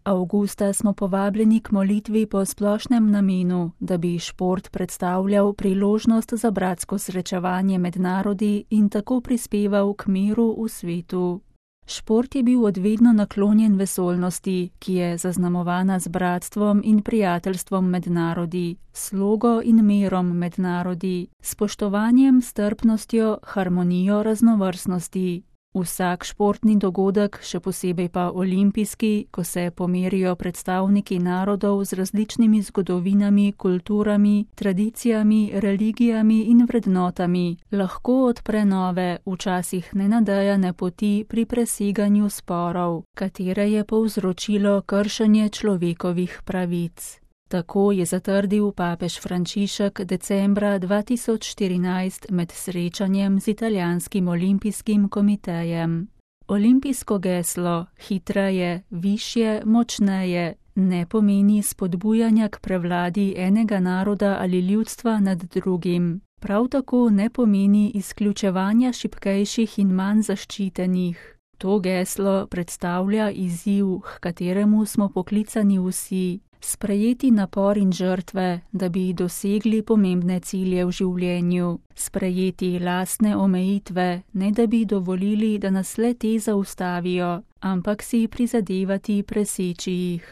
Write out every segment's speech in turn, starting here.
Avgusta smo povabljeni k molitvi po splošnem namenu, da bi šport predstavljal priložnost za bratsko srečevanje med narodi in tako prispeval k miru v svetu. Šport je bil od vedno naklonjen vesoljnosti, ki je zaznamovana z bratstvom in prijateljstvom med narodi, slogo in mirom med narodi, spoštovanjem, strpnostjo, harmonijo raznovrstnosti. Vsak športni dogodek, še posebej pa olimpijski, ko se pomerijo predstavniki narodov z različnimi zgodovinami, kulturami, tradicijami, religijami in vrednotami, lahko odpre nove, včasih nenadejane poti pri preseganju sporov, katere je povzročilo kršenje človekovih pravic. Tako je zatrdil papež Frančišek decembra 2014 med srečanjem z italijanskim olimpijskim komitejem. Olimpijsko geslo hitreje, višje, močneje ne pomeni spodbujanja k prevladi enega naroda ali ljudstva nad drugim. Prav tako ne pomeni izključevanja šibkejših in manj zaščitenih. To geslo predstavlja izziv, h kateremu smo poklicani vsi. Sprejeti napor in žrtve, da bi dosegli pomembne cilje v življenju, sprejeti lastne omejitve, ne da bi dovolili, da nas le te zaustavijo, ampak si prizadevati preseči jih.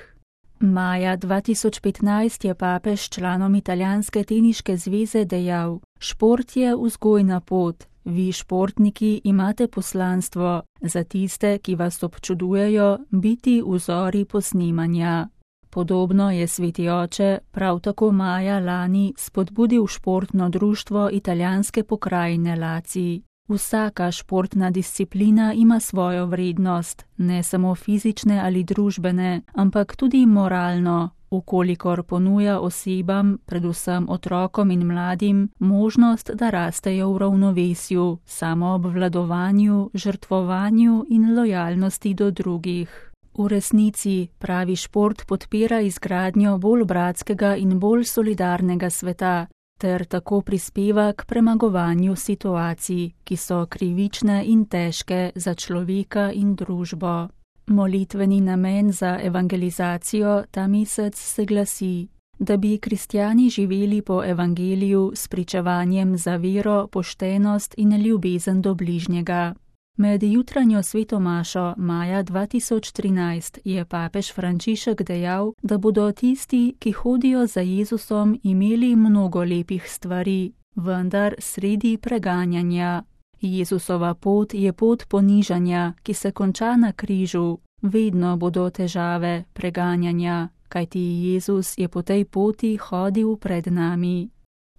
Maja 2015 je papež članom Italijanske teniške zveze dejal: šport je vzgojna pot, vi športniki imate poslanstvo, za tiste, ki vas občudujejo, biti vzori posnemanja. Podobno je sveti oče prav tako maja lani spodbudil športno društvo italijanske pokrajine Lacij. Vsaka športna disciplina ima svojo vrednost, ne samo fizične ali družbene, ampak tudi moralno, ukolikor ponuja osebam, predvsem otrokom in mladim, možnost, da rastejo v ravnovesju, samoobvladovanju, žrtvovanju in lojalnosti do drugih. V resnici pravi šport podpira izgradnjo bolj bratskega in bolj solidarnega sveta, ter tako prispeva k premagovanju situacij, ki so krivične in težke za človeka in družbo. Molitveni namen za evangelizacijo ta mesec se glasi: da bi kristjani živeli po evangeliju s pričevanjem za vero, poštenost in ljubezen do bližnjega. Med jutranjo sveto mašo maja 2013 je papež Frančišek dejal, da bodo tisti, ki hodijo za Jezusom, imeli mnogo lepih stvari, vendar sredi preganjanja. Jezusova pot je pot ponižanja, ki se konča na križu. Vedno bodo težave preganjanja, kajti Jezus je po tej poti hodil pred nami.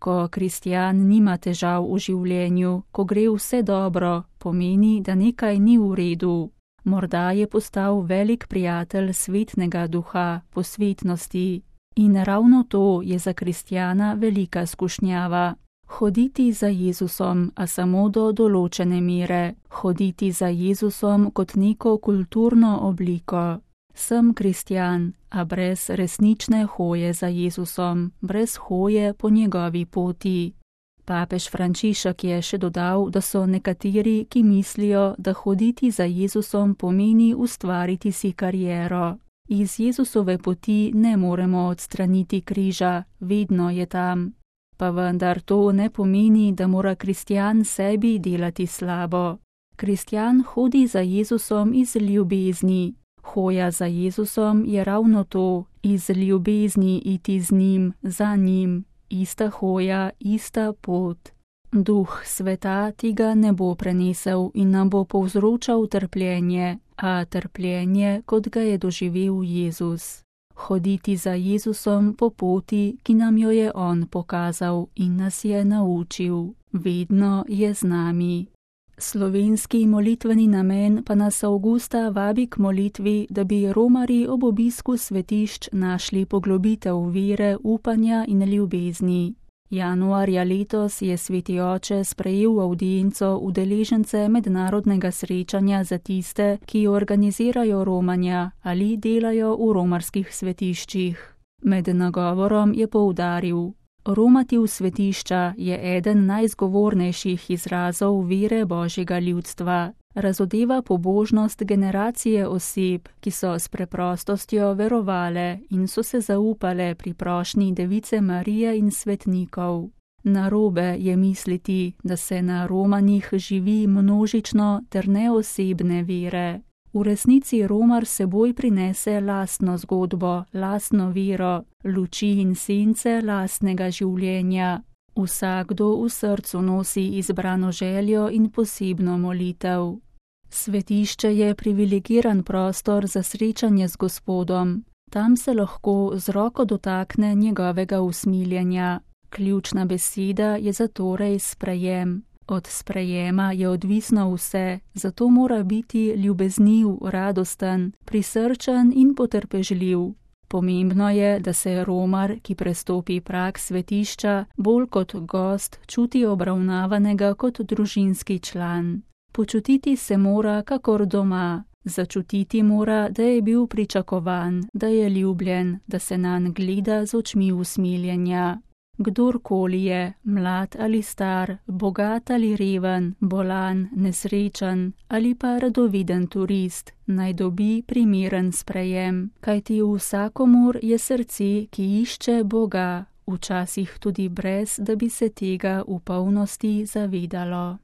Ko kristjan nima težav v življenju, ko gre vse dobro, pomeni, da nekaj ni v redu. Morda je postal velik prijatelj svetnega duha, posvetnosti. In ravno to je za kristjana velika skušnjava. Hoditi za Jezusom, a samo do določene mere. Hoditi za Jezusom kot neko kulturno obliko. Sem kristjan, a brez resnične hoje za Jezusom, brez hoje po njegovi poti. Papež Frančišek je še dodal, da so nekateri, ki mislijo, da hoditi za Jezusom pomeni ustvariti si kariero. Iz Jezusove poti ne moremo odstraniti križa, vedno je tam. Pa vendar to ne pomeni, da mora kristjan sebi delati slabo. Kristjan hodi za Jezusom iz ljubezni. Hoja za Jezusom je ravno to, iz ljubezni iti z njim, za njim, ista hoja, ista pot. Duh sveta tega ne bo prenesel in nam bo povzročal trpljenje, a trpljenje, kot ga je doživel Jezus. Hoditi za Jezusom po poti, ki nam jo je on pokazal in nas je naučil. Vedno je z nami. Slovenski molitveni namen pa nas avgusta vabi k molitvi, da bi romarji ob obisku svetišč našli poglobitev vere, upanja in ljubezni. Januarja letos je sveti oče sprejel avdienco udeležence mednarodnega srečanja za tiste, ki organizirajo romanja ali delajo v romarskih svetiščih. Med nagovorom je poudaril: romati v svetišča je eden najzgovornejših izrazov vere Božjega ljudstva. Razodeva pobožnost generacije oseb, ki so s preprostostjo verovale in so se zaupale pri prošnji Device Marije in svetnikov. Narobe je misliti, da se na romanjih živi množično ter neosebne vere. V resnici romar seboj prinese lastno zgodbo, lastno vero, luči in sence lastnega življenja. Vsakdo v srcu nosi izbrano željo in posebno molitev. Svetišče je privilegiran prostor za srečanje z Gospodom. Tam se lahko z roko dotakne njegovega usmiljenja. Ključna beseda je zatorej sprejem. Od sprejema je odvisno vse, zato mora biti ljubezniv, radosten, prisrčen in potrpežljiv. Pomembno je, da se romar, ki prestopi prag svetišča, bolj kot gost čuti obravnavanega kot družinski član. Počutiti se mora kakor doma, začutiti mora, da je bil pričakovan, da je ljubljen, da se nanj gleda z očmi usmiljenja. Kdorkoli je, mlad ali star, bogat ali reven, bolan, nesrečen ali pa radoviden turist, naj dobi primeren sprejem, kajti vsakomur je srce, ki išče Boga, včasih tudi brez, da bi se tega v polnosti zavedalo.